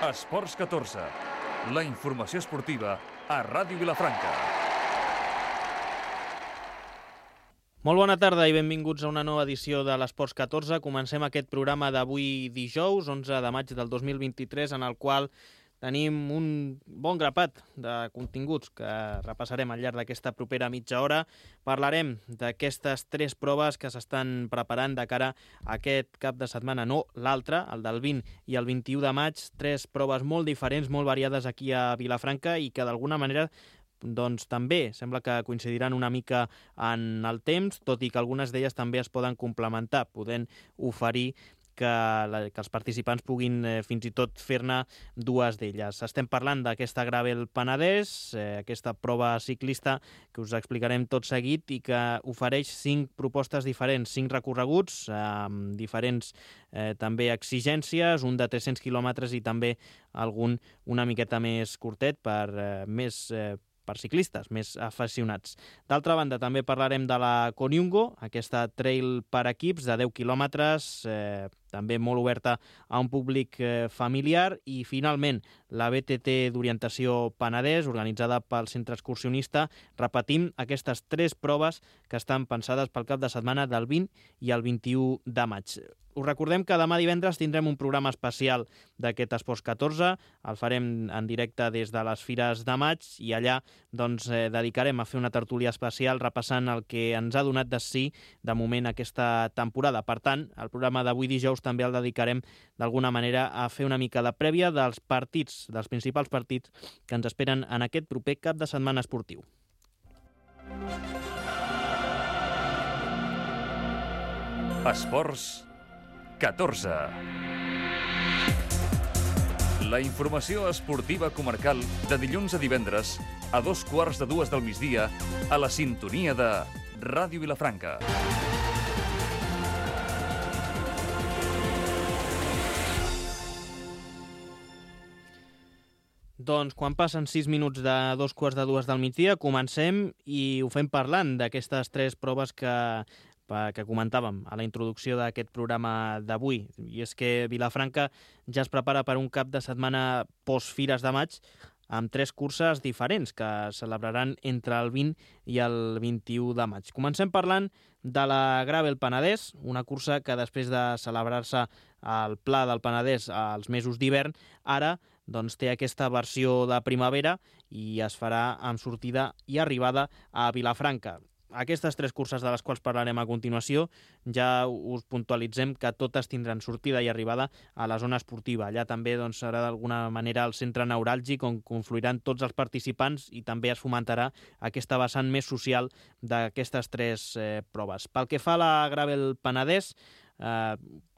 Esports 14, la informació esportiva a Ràdio Vilafranca. Molt bona tarda i benvinguts a una nova edició de l'Esports 14. Comencem aquest programa d'avui dijous, 11 de maig del 2023, en el qual tenim un bon grapat de continguts que repassarem al llarg d'aquesta propera mitja hora. Parlarem d'aquestes 3 proves que s'estan preparant de cara a aquest cap de setmana, no l'altre, el del 20 i el 21 de maig. 3 proves molt diferents, molt variades aquí a Vilafranca i que d'alguna manera doncs també sembla que coincidiran una mica en el temps, tot i que algunes d'elles també es poden complementar, podent oferir que els participants puguin fins i tot fer-ne 2 d'elles. Estem parlant d'aquesta Gravel Penedès, aquesta prova ciclista que us explicarem tot seguit i que ofereix 5 propostes diferents, 5 recorreguts amb diferents també exigències, un de 300 quilòmetres i també algun una miqueta més curtet per ciclistes més aficionats. D'altra banda, també parlarem de la Koniungo, aquesta trail per equips de 10 quilòmetres, també molt oberta a un públic familiar, i finalment la BTT d'orientació Penedès, organitzada pel Centre Excursionista. Repetim aquestes 3 proves que estan pensades pel cap de setmana del 20 i el 21 de maig. Us recordem que demà divendres tindrem un programa especial d'aquest Esports 14, el farem en directe des de les Fires de Maig i allà dedicarem a fer una tertúlia especial repassant el que ens ha donat de sí de moment aquesta temporada. Per tant, el programa d'avui dijous també el dedicarem d'alguna manera a fer una mica de prèvia dels partits, dels principals partits que ens esperen en aquest proper cap de setmana esportiu. Esports 14. La informació esportiva comarcal de dilluns a divendres a 2:15 del migdia a la sintonia de Ràdio Vilafranca. Doncs quan passen 6 minuts de 2:15 del migdia comencem i ho fem parlant d'aquestes 3 proves que comentàvem a la introducció d'aquest programa d'avui. I és que Vilafranca ja es prepara per un cap de setmana post-Fires de Maig amb 3 curses diferents que celebraran entre el 20 i el 21 de maig. Comencem parlant de la Gravel Penedès, una cursa que després de celebrar-se al Pla del Penedès als mesos d'hivern, ara té aquesta versió de primavera i es farà amb sortida i arribada a Vilafranca. Aquestes 3 curses de les quals parlarem a continuació ja us puntualitzem que totes tindran sortida i arribada a la zona esportiva. Allà també serà d'alguna manera el centre neuràlgic on confluiran tots els participants i també es fomentarà aquesta vessant més social d'aquestes 3 proves. Pel que fa a la Gravel Penedès,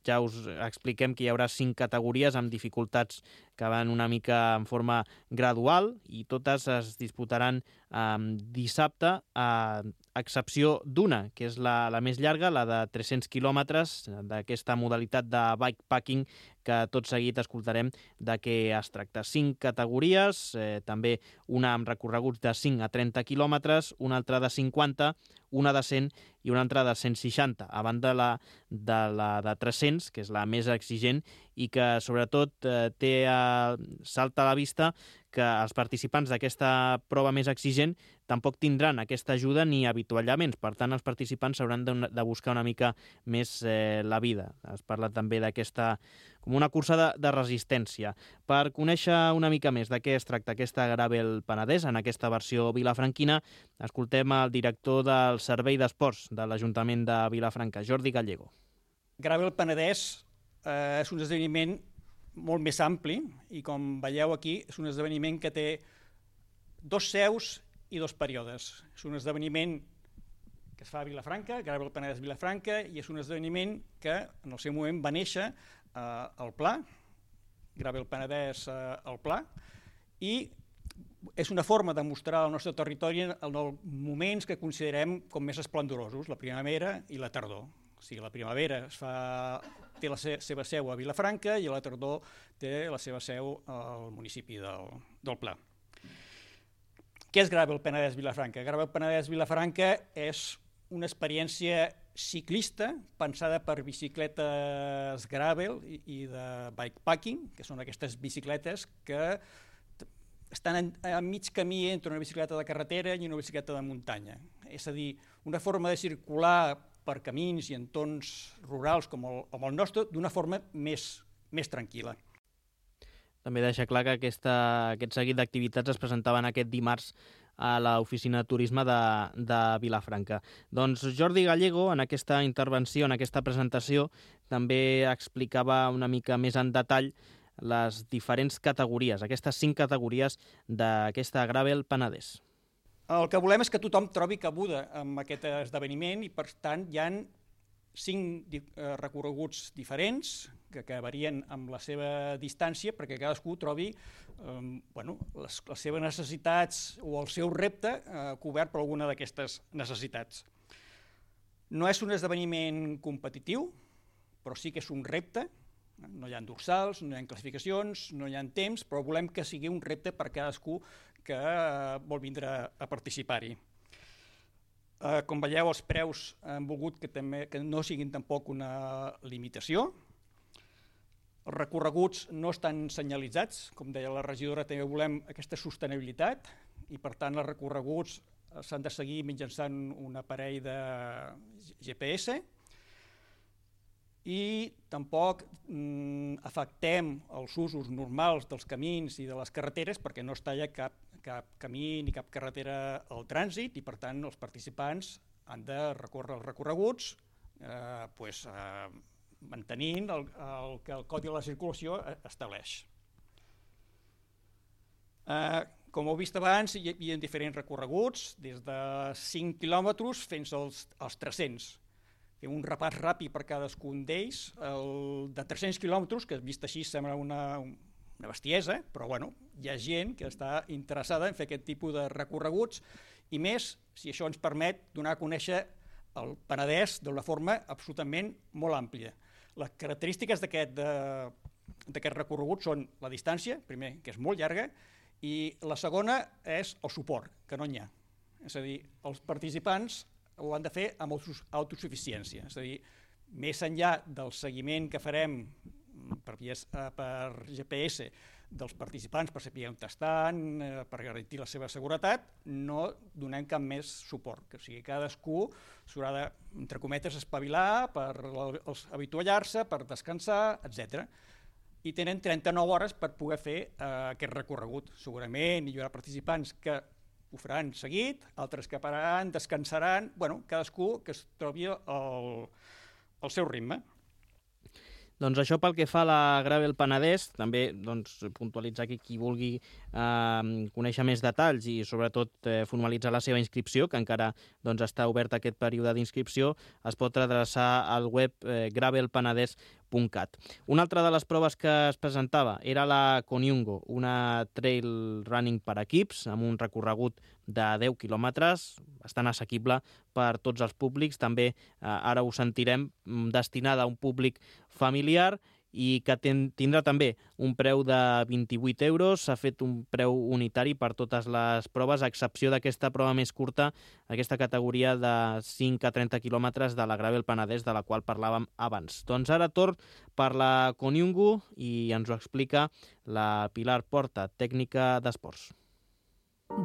ja us expliquem que hi haurà 5 categories amb dificultats que van una mica en forma gradual i totes es disputaran dissabte, a excepció d'una, que és la més llarga, la de 300 quilòmetres, d'aquesta modalitat de bikepacking que tot seguit escoltarem de què es tracta. 5 categories, també una amb recorreguts de 5 a 30 quilòmetres, una altra de 50, una de 100 i una altra de 160, a banda de la de 300, que és la més exigent i que sobretot salta a la vista que els participants d'aquesta prova més exigent tampoc tindran aquesta ajuda ni avituallaments. Per tant, els participants s'hauran de buscar una mica més la vida. Es parla també d'aquesta com una cursa de resistència. Per conèixer una mica més de què es tracta aquesta Gravel Penedès en aquesta versió vilafranquina, escoltem el director del Servei d'Esports de l'Ajuntament de Vilafranca, Jordi Gallego. Gravel Penedès és un esdeveniment molt més ampli i, com veieu aquí, és un esdeveniment que té 2 seus i 2 períodes. És un esdeveniment que es fa a Vilafranca, Gravel Penedès Vilafranca, i és un esdeveniment que en el seu moment va néixer al Pla, Gravel Penedès al Pla, i és una forma de mostrar al nostre territori en els moments que considerem com més esplendorosos, la primavera i la tardor. O sigui, la primavera té la seva seu a Vilafranca i la tardor té la seva seu al municipi del Pla. Què és Gravel Penedès Vilafranca? Gravel Penedès Vilafranca és una experiència ciclista, pensada per bicicletes gravel i de bikepacking, que són aquestes bicicletes que estan a mig camí entre una bicicleta de carretera i una bicicleta de muntanya. És a dir, una forma de circular per camins i entorns rurals com el nostre d'una forma més tranquil·la. També deixa clar que aquest seguit d'activitats es presentaven aquest dimarts a l'oficina de turisme de Vilafranca. Doncs Jordi Gallego, en aquesta intervenció, en aquesta presentació, també explicava una mica més en detall les diferents categories, aquestes 5 categories d'aquesta Gravel Penedès. El que volem és que tothom trobi cabuda en aquest esdeveniment i, per tant, hi ha 5 recorreguts diferents que varien amb la seva distància perquè cadascú trobi les seves necessitats o el seu repte cobert per alguna d'aquestes necessitats. No és un esdeveniment competitiu, però sí que és un repte. No hi ha dorsals, no hi ha classificacions, no hi ha temps, però volem que sigui un repte per cadascú que vol vindre a participar-hi. Com veieu, els preus han volgut que no siguin tampoc una limitació. Els recorreguts no estan senyalitzats, com deia la regidora, també volem aquesta sostenibilitat i, per tant, els recorreguts s'han de seguir mitjançant un aparell de GPS i tampoc afectem els usos normals dels camins i de les carreteres perquè no es talla cap camí ni cap carretera al trànsit i, per tant, els participants han de recórrer els recorreguts mantenint el que el Codi de la Circulació estableix. Com heu vist abans, hi ha diferents recorreguts, des de 5 quilòmetres fins als 300. Fem un repàs ràpid per cadascun d'ells. El de 300 quilòmetres, que vist així sembla una bestiesa, però hi ha gent que està interessada en fer aquest tipus de recorreguts i més si això ens permet donar a conèixer el Penedès d'una forma absolutament molt àmplia. Les característiques d'aquest recorregut són la distància, primer, que és molt llarga, i la segona és el suport, que no n'hi ha. És a dir, els participants ho han de fer amb autosuficiència. És a dir, més enllà del seguiment que farem per GPS dels participants per saber on estan, per garantir la seva seguretat, no donem cap més suport. O sigui, cadascú s'haurà de, entre cometes, espavilar per avituallar-se, per descansar, etc. I tenen 39 hores per poder fer aquest recorregut. Segurament hi haurà participants que ho faran seguit, altres que pararan, descansaran, cadascú que es trobi al seu ritme. Doncs això pel que fa a la Gravel Penedès, també puntualitzar que qui vulgui conèixer més detalls i sobretot formalitzar la seva inscripció, que encara està obert aquest període d'inscripció, es pot adreçar al web gravelpenedès.cat. Una altra de les proves que es presentava era la Koniungo, una trail running per equips amb un recorregut de 10 quilòmetres, bastant assequible per tots els públics, també ara ho sentirem, destinada a un públic familiar i que tindrà també un preu de 28 euros. S'ha fet un preu unitari per totes les proves, a excepció d'aquesta prova més curta, aquesta categoria de 5 a 30 quilòmetres de la Gravel Penedès, de la qual parlàvem abans. Doncs ara torn per la Koniungo i ens ho explica la Pilar Porta, tècnica d'esports.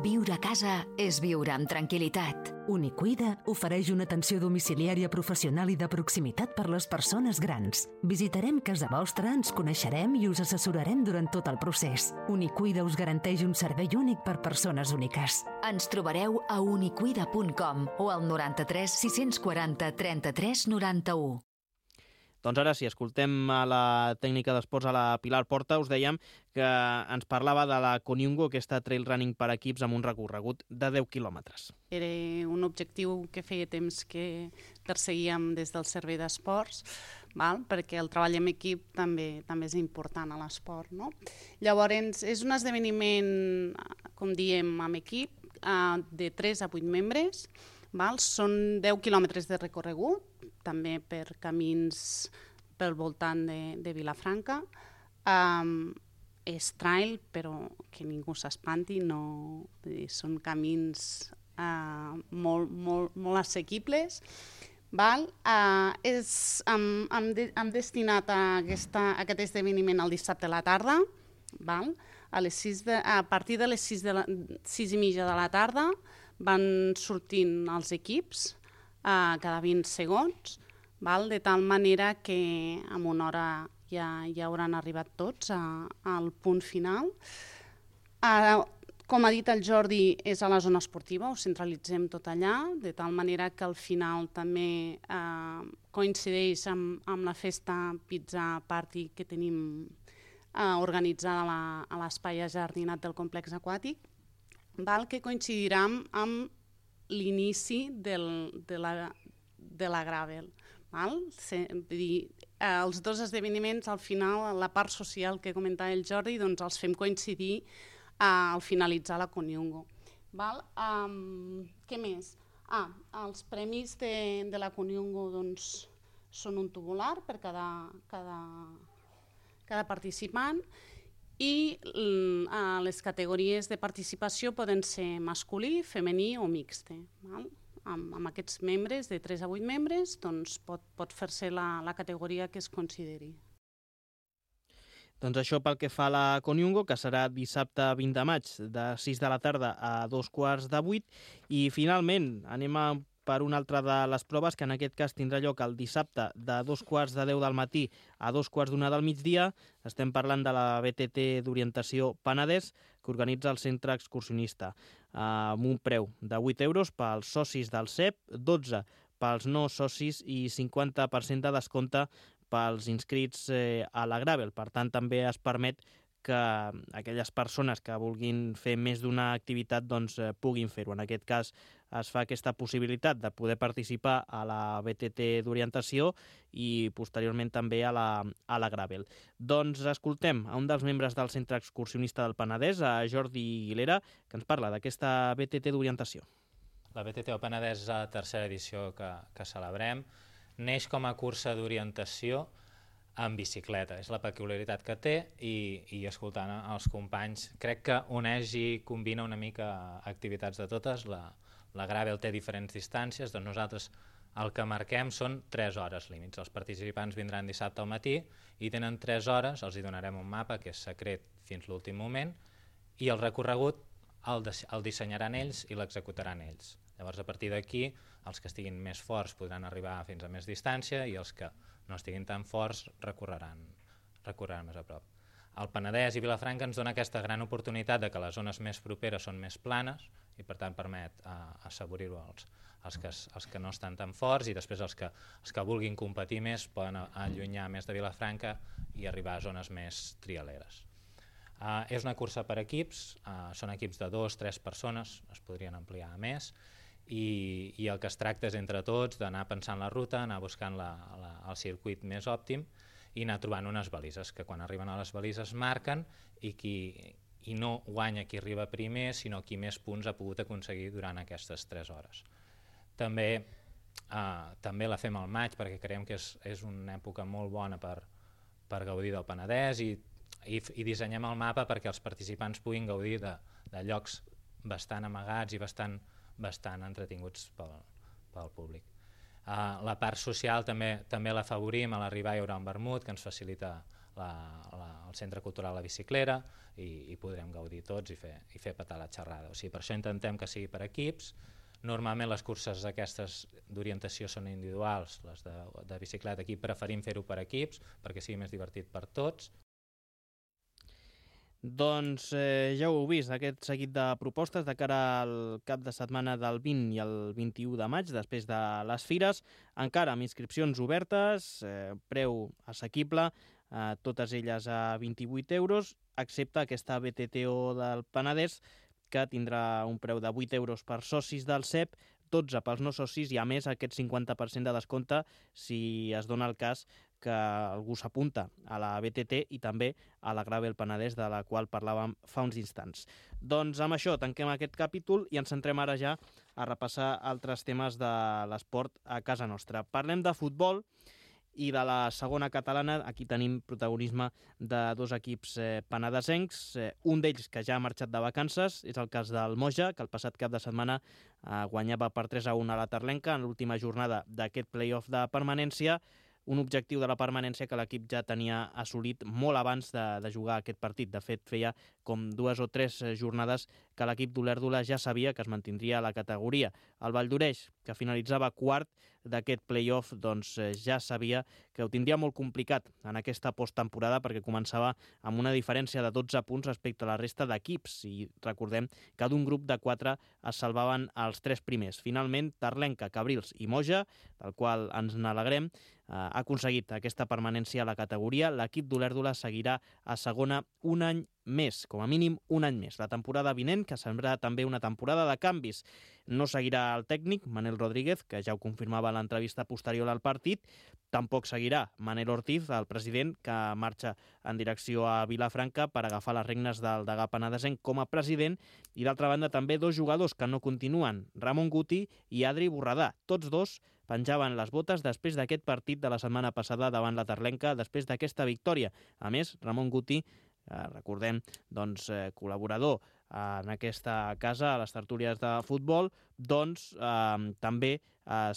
Viure a casa és viure amb tranquil·litat. Unicuida ofereix una atenció domiciliària professional i de proximitat per les persones grans. Visitarem casa vostra, ens coneixerem i us assessorarem durant tot el procés. Unicuida us garanteix un servei únic per persones úniques. Ens trobareu a unicuida.com o al 93 640 33 91. Doncs ara sí, escoltem a la tècnica d'esports, a la Pilar Porta. Us dèiem que ens parlava de la Koniungo, aquesta trail running per equips amb un recorregut de 10 quilòmetres. Era un objectiu que feia temps que perseguíem des del servei d'esports, perquè el treball en equip també és important a l'esport. Llavors, és un esdeveniment, com diem, amb equip, de 3 a 8 membres. Són 10 quilòmetres de recorregut, també per camins pel voltant de Vilafranca. És trail, però que ningú s'espanti, són camins molt assequibles, Val? Hem destinat a aquest esdeveniment el dissabte a la tarda, val? A partir de les 6:30 de la tarda van sortint els equips cada 20 segons, val? De tal manera que en una hora ja hauran arribat tots al punt final. Com ha dit el Jordi, és a la zona esportiva, ho centralitzem tot allà, de tal manera que al final també coincideix amb la festa Pizza Party que tenim organitzada a l'espai ajardinat del complex aquàtic, que coincidirà amb l'inici de la gravel. Els dos esdeveniments, al final, la part social que comentava el Jordi, doncs els fem coincidir al finalitzar la Coniungo. Què més? Els premis de la Coniungo són un tubular per cada participant i les categories de participació poden ser masculí, femení o mixte. Amb aquests membres, de 3 a 8 membres, doncs pot fer-se la categoria que es consideri. Doncs això pel que fa a la Coniungo, que serà dissabte 20 de maig, de 6 de la tarda a 2:15. I finalment anem per una altra de les proves, que en aquest cas tindrà lloc el dissabte de 2:10 del matí a 2:45 del migdia. Estem parlant de la BTT d'orientació Penedès, que organitza el centre excursionista, amb un preu de 8 euros pels socis del CEP, 12 pels no socis i 50% de descompte pels inscrits a la Gravel. Per tant, també es permet que aquelles persones que vulguin fer més d'una activitat puguin fer-ho. En aquest cas es fa aquesta possibilitat de poder participar a la BTT d'orientació i posteriorment també a la Gravel. Doncs escoltem a un dels membres del Centre Excursionista del Penedès, a Jordi Guilera, que ens parla d'aquesta BTT d'orientació. La BTT del Penedès és la tercera edició que celebrem. Neix com a cursa d'orientació en bicicleta, és la peculiaritat que té i escoltant els companys crec que uneix i combina una mica activitats de totes. La Gravel té diferents distàncies, doncs nosaltres el que marquem són 3 hores límits. Els participants vindran dissabte al matí i tenen 3 hores, els hi donarem un mapa que és secret fins l'últim moment i el recorregut el dissenyaran ells i l'executaran ells. Llavors, a partir d'aquí, els que estiguin més forts podran arribar fins a més distància i els que no estiguin tan forts recorreran més a prop. El Penedès i Vilafranca ens dona aquesta gran oportunitat de que les zones més properes són més planes i per tant permet assaborir-ho als que no estan tan forts i després els que vulguin competir més poden allunyar més de Vilafranca i arribar a zones més trialeres. És una cursa per equips, són equips de 2-3 persones, es podrien ampliar a més, i el que es tracta és entre tots d'anar pensant la ruta, anar buscant el circuit més òptim i anar trobant unes balises, que quan arriben a les balises marquen i no guanya qui arriba primer, sinó qui més punts ha pogut aconseguir durant aquestes 3 hores. També la fem al maig perquè creiem que és una època molt bona per gaudir del Penedès i dissenyem el mapa perquè els participants puguin gaudir de llocs bastant amagats i bastant entretinguts pel públic. La part social també l'afavorim, a l'arribar hi haurà un vermut que ens facilita el Centre Cultural La Biciclera i podrem gaudir tots i fer petar la xerrada. O sigui, per això intentem que sigui per equips. Normalment les curses aquestes d'orientació són individuals, les de bicicleta aquí preferim fer-ho per equips perquè sigui més divertit per tots. Doncs ja ho heu vist, aquest seguit de propostes de cara al cap de setmana del 20 i el 21 de maig, després de les fires, encara amb inscripcions obertes, preu assequible, totes elles a 28 euros, excepte aquesta BTTO del Penedès, que tindrà un preu de 8 euros per socis del CEP, 12 pels no socis i a més aquest 50% de descompte si es dona el cas que algú s'apunta a la BTT i també a la Gravel Penedès, de la qual parlàvem fa uns instants. Doncs amb això tanquem aquest capítol i ens centrem ara ja a repassar altres temes de l'esport a casa nostra. Parlem de futbol I de la segona catalana, aquí tenim protagonisme de dos equips penedesencs. Un d'ells que ja ha marxat de vacances és el cas del Moja, que el passat cap de setmana guanyava per 3-1 a la Terlenca en l'última jornada d'aquest play-off de permanència. Un objectiu de la permanència que l'equip ja tenia assolit molt abans de jugar aquest partit. De fet, feia com 2 o 3 jornades que l'equip d'Olèrdola ja sabia que es mantindria a la categoria. El Valldoreix, que finalitzava quart d'aquest play-off, doncs ja sabia que ho tindria molt complicat en aquesta posttemporada perquè començava amb una diferència de 12 punts respecte a la resta d'equips i recordem que d'un grup de 4 es salvaven els 3 primers. Finalment, Terlenca, Cabrils i Moja, del qual ens n'alegrem, ha aconseguit aquesta permanència a la categoria. L'equip d'Olèrdola seguirà a segona un any més, com a mínim un any més. La temporada vinent, que semblarà també una temporada de canvis. No seguirà el tècnic, Manel Rodríguez, que ja ho confirmava a l'entrevista posterior al partit. Tampoc seguirà Manel Ortiz, el president, que marxa en direcció a Vilafranca per agafar les regnes del degà penedesenc com a president. I d'altra banda també 2 jugadors que no continuen, Ramon Guti i Adri Borredà. Tots dos penjaven les botes després d'aquest partit de la setmana passada davant la Terlenca, després d'aquesta victòria. A més, Ramon Guti, recordem, doncs, col·laborador en aquesta casa, a les tertúlies de futbol, doncs també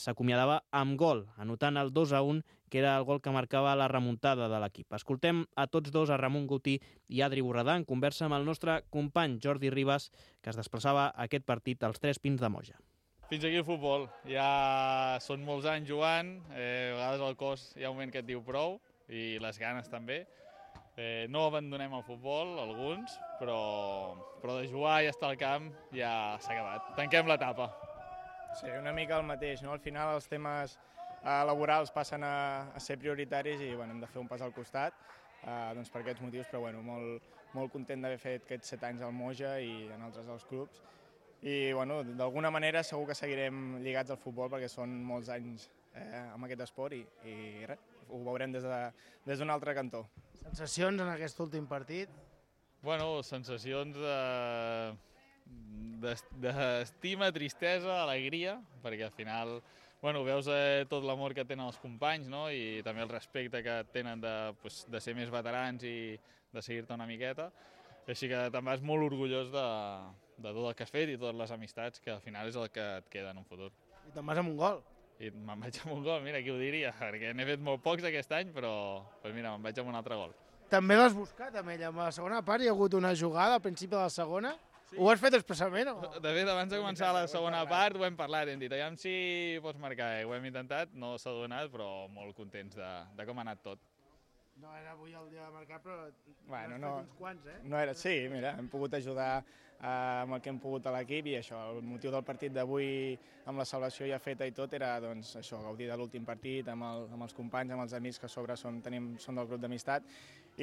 s'acomiadava amb gol, anotant el 2-1, que era el gol que marcava la remuntada de l'equip. Escoltem a tots dos, a Ramon Guti i Adri Borredà, en conversa amb el nostre company Jordi Ribas, que es desplaçava a aquest partit als 3 Pins de Moja. Fins aquí el futbol. Ja són molts anys jugant, a vegades el cos hi ha un moment que et diu prou, i les ganes també. No abandonem el futbol, alguns, però de jugar i estar al camp ja s'ha acabat. Tanquem l'etapa. Sí, una mica el mateix, no? Al final els temes laborals passen a ser prioritaris i hem de fer un pas al costat doncs per aquests motius, però molt content d'haver fet aquests 7 anys al Moja i en altres dels clubs. I d'alguna manera segur que seguirem lligats al futbol perquè són molts anys amb aquest esport i res, ho veurem des d'un altre cantó. Sensacions en aquest últim partit? Sensacions d'estima, tristesa, alegria, perquè al final veus tot l'amor que tenen els companys, no? I també el respecte que tenen de ser més veterans i de seguir-te una miqueta. Així que també vas molt orgullós de tot el que has fet i totes les amistats, que al final és el que et queda en un futur. I te'n vas amb un gol. I me'n vaig amb un gol, mira, qui ho diria, perquè n'he fet molt pocs aquest any, però mira, me'n vaig amb un altre gol. També l'has buscat amb ell, amb la segona part hi ha hagut una jugada al principi de la segona? Sí. Ho has fet expressament o? De fet, abans de començar la segona part ho hem parlat, hem dit, aviam si pots marcar, ho hem intentat, no s'ha donat, però molt contents de com ha anat tot. No era avui el dia de marcar, però uns quants, No era, sí, mira, hem pogut ajudar amb el que hem pogut a l'equip i això, el motiu del partit d'avui amb la celebració ja feta i tot era doncs això, gaudir de l'últim partit amb els companys, amb els amics que a sobre són del grup d'amistat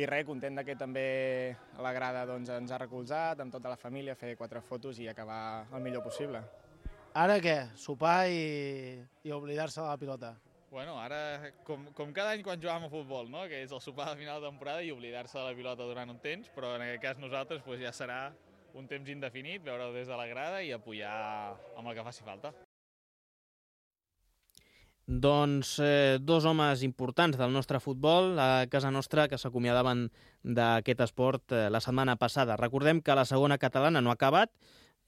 i res, content que també a la grada ens ha recolzat amb tota la família, fer 4 fotos i acabar el millor possible. Ara què? Sopar i oblidar-se de la pilota? Ara, com cada any quan jugàvem a futbol, no? Que és el sopar de final de temporada i oblidar-se de la pilota durant un temps, però en aquest cas nosaltres ja serà un temps indefinit, veure-ho des de la grada i apoyar amb el que faci falta. Doncs 2 homes importants del nostre futbol a casa nostra que s'acomiadaven d'aquest esport la setmana passada. Recordem que la segona catalana no ha acabat,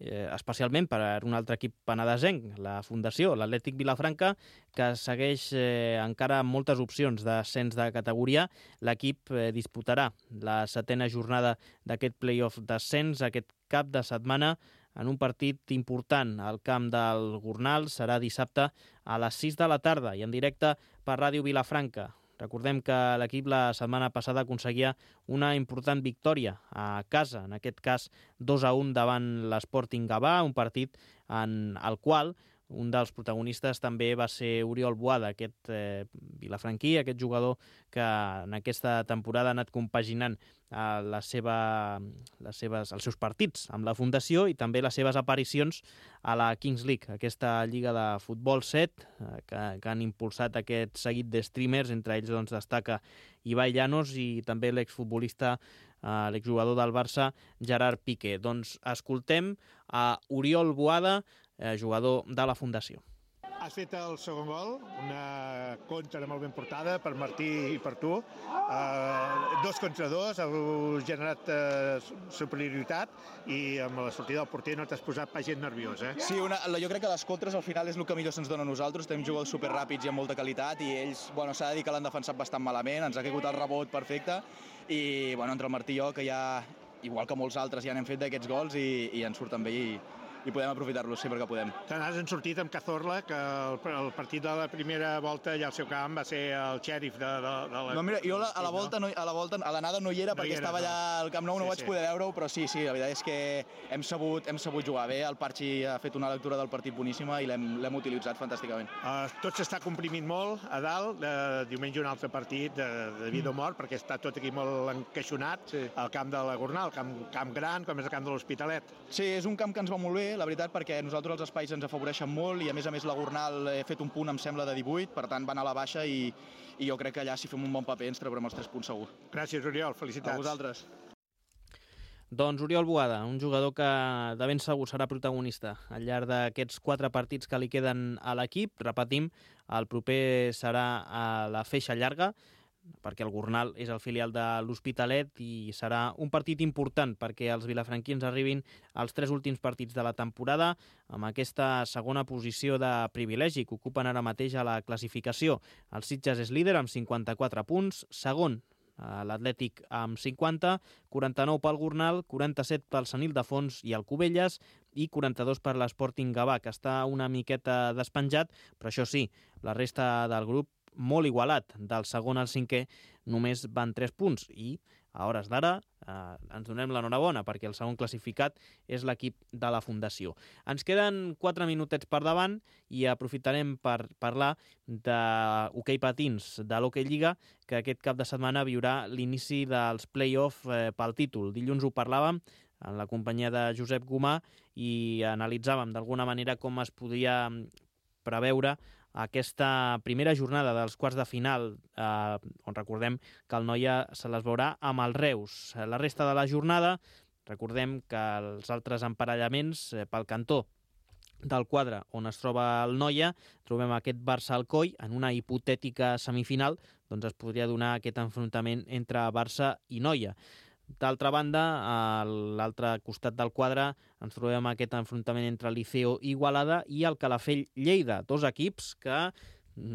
especialment per un altre equip penedesenc, la Fundació, l'Atlètic Vilafranca, que segueix encara amb moltes opcions d'ascens de categoria. L'equip disputarà la 7a jornada d'aquest play-off d'ascens aquest cap de setmana en un partit important al camp del Gornal. Serà dissabte a les 6 de la tarda i en directe per Ràdio Vilafranca. Recordem que l'equip la setmana passada aconseguia una important victòria a casa, en aquest cas 2-1 davant l'Sporting Gavà, un partit en el qual un dels protagonistes també va ser Oriol Boada, aquest vilafranquí, aquest jugador que en aquesta temporada ha anat compaginant els seus partits amb la Fundació i també les seves aparicions a la Kings League, aquesta lliga de futbol 7 que han impulsat aquest seguit de streamers, entre ells doncs, destaca Ibai Llanos i també l'exfutbolista, l'exjugador del Barça, Gerard Piqué. Doncs escoltem a Oriol Boada, jugador de la Fundació. Has fet el segon gol, una contra molt ben portada per Martí i per tu. 2 contra 2, heu generat superioritat i amb la sortida del porter no t'has posat pas gent nerviós, eh? Sí, jo crec que les contres al final és el que millor se'ns dona a nosaltres. Tenim jugadors superràpids i amb molta qualitat i ells, s'ha de dir que l'han defensat bastant malament, ens ha caigut el rebot perfecte i entre el Martí i jo, que ja, igual que molts altres, ja n'hem fet d'aquests gols i ens surten bé i podem aprofitar-los sempre que podem. Te n'has sortit amb Cazorla, que el partit de la primera volta allà al seu camp va ser el xèrif de la... No, mira, jo a l'anada no hi era perquè estava allà al Camp Nou, no vaig poder veure-ho, però sí, la veritat és que hem sabut jugar bé, el Parchi ha fet una lectura del partit boníssima i l'hem utilitzat fantàsticament. Tot s'està comprimint molt a dalt, diumenge un altre partit de vida o mort, perquè està tot aquí molt encaixonat, al camp de la Gornal, camp gran, com és el camp de l'Hospitalet. Sí, és un camp que ens va molt bé, la veritat, perquè a nosaltres els espais ens afavoreixen molt i a més la Gornal he fet un punt, em sembla, de 18, per tant va anar a la baixa i jo crec que allà si fem un bon paper ens treurem els 3 punts segur. Gràcies, Oriol, felicitats. A vosaltres. Doncs Oriol Boada, un jugador que de ben segur serà protagonista al llarg d'aquests 4 partits que li queden a l'equip. Repetim, el proper serà a la Feixa Llarga, perquè el Gornal és el filial de l'Hospitalet i serà un partit important perquè els vilafranquins arribin als 3 últims partits de la temporada amb aquesta segona posició de privilegi que ocupen ara mateix a la classificació. El Sitges és líder amb 54 punts, segon l'Atlètic amb 50, 49 pel Gornal, 47 pel Sant Ildefons i el Cubelles i 42 per l'Sporting Gavà, que està una miqueta despenjat, però això sí, la resta del grup molt igualat, del segon al 5è només van 3 punts i a hores d'ara ens donem l'enhorabona perquè el segon classificat és l'equip de la Fundació. Ens queden 4 minutets per davant i aprofitarem per parlar d'hoquei patins de l'Hockey Lliga, que aquest cap de setmana viurà l'inici dels play-off pel títol. Dilluns ho parlàvem en la companyia de Josep Gomà i analitzàvem d'alguna manera com es podia preveure aquesta primera jornada dels quarts de final, on recordem que el Noia se les veurà amb el Reus. La resta de la jornada, recordem que els altres emparellaments pel cantó del quadre on es troba el Noia, trobem aquest Barça-Alcoi en una hipotètica semifinal, doncs es podria donar aquest enfrontament entre Barça i Noia. D'altra banda, a l'altre costat del quadre ens trobem aquest enfrontament entre Liceo i Igualada i el Calafell-Lleida, 2 equips que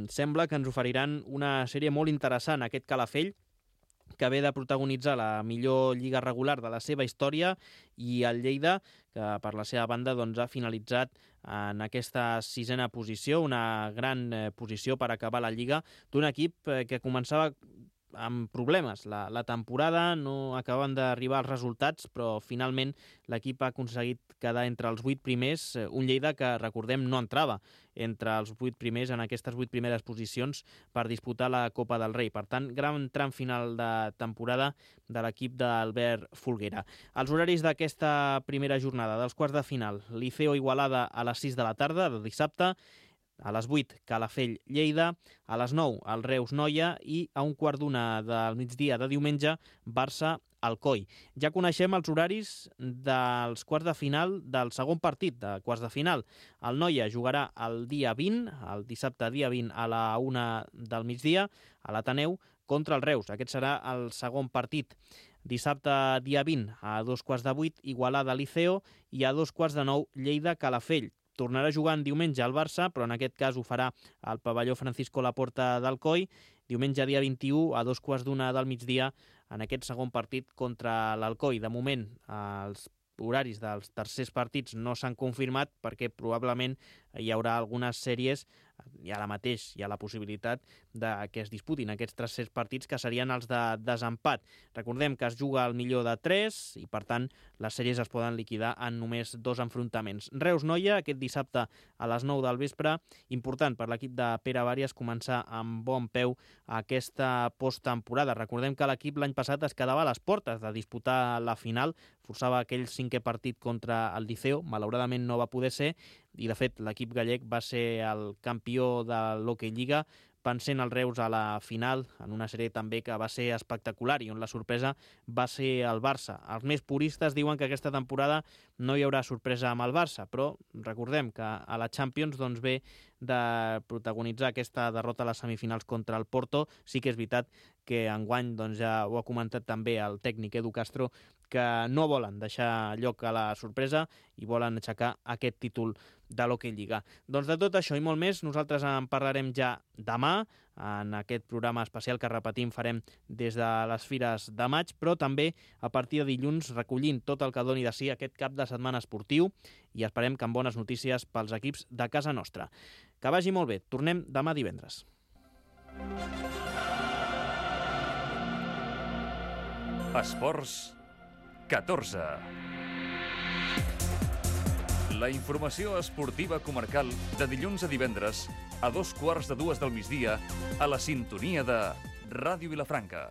sembla que ens oferiran una sèrie molt interessant. Aquest Calafell, que ve de protagonitzar la millor lliga regular de la seva història, i el Lleida, que per la seva banda ha finalitzat en aquesta 6a posició, una gran posició per acabar la lliga d'un equip que començava amb problemes. La temporada no acaben d'arribar els resultats, però finalment l'equip ha aconseguit quedar entre els 8 primers, un Lleida que, recordem, no entrava entre els 8 primers en aquestes 8 primeres posicions per disputar la Copa del Rei. Per tant, gran tram final de temporada de l'equip d'Albert Folguera. Els horaris d'aquesta primera jornada dels quarts de final: Liceo Igualada a les 6 de la tarda de dissabte, a les 8, Calafell-Lleida, a les 9, el Reus-Noia i a 1:15 del migdia de diumenge, Barça-Alcoi. Ja coneixem els horaris dels quarts de final del segon partit de quarts de final. El Noia jugarà el dia 20, el dissabte dia 20 a la 1 del migdia, a l'Ateneu, contra el Reus. Aquest serà el segon partit. Dissabte dia 20 a 7:15, Igualada-Liceo, i a 8:45, Lleida-Calafell. Tornarà a jugar en diumenge al Barça, però en aquest cas ho farà al pavelló Francisco Laporta d'Alcoi, diumenge dia 21 a 2:15 del migdia en aquest segon partit contra l'Alcoi. De moment, els horaris dels tercers partits no s'han confirmat perquè probablement hi haurà algunes sèries, i ara mateix hi ha la possibilitat de que es disputin aquests tercers partits, que serien els de desempat. Recordem que es juga al millor de 3 i, per tant, les sèries es poden liquidar en només 2 enfrontaments. Reus-Noia, aquest dissabte a les 9 del vespre. Important per l'equip de Pere Vàries començar amb bon peu aquesta posttemporada. Recordem que l'equip l'any passat es quedava a les portes de disputar la final, forçava aquell 5è partit contra el Liceo, malauradament no va poder ser, i de fet l'equip gallec va ser el campió de l'Hockey Lliga vencent el Reus a la final, en una sèrie també que va ser espectacular i on la sorpresa va ser el Barça. Els més puristes diuen que aquesta temporada no hi haurà sorpresa amb el Barça, però recordem que a la Champions doncs, ve de protagonitzar aquesta derrota a les semifinals contra el Porto. Sí que és veritat que enguany, doncs, ja ho ha comentat també el tècnic Edu Castro, que no volen deixar lloc a la sorpresa i volen aixecar aquest títol de l'Hockey Lliga. Doncs de tot això i molt més, nosaltres en parlarem ja demà, en aquest programa especial que, repetim, farem des de les Fires de maig, però també a partir de dilluns recollint tot el que doni de si aquest cap de setmana esportiu i esperem que amb bones notícies pels equips de casa nostra. Que vagi molt bé. Tornem demà divendres. Esports 14. La informació esportiva comarcal de dilluns a divendres a 2:15 del migdia a la sintonia de Ràdio Vilafranca.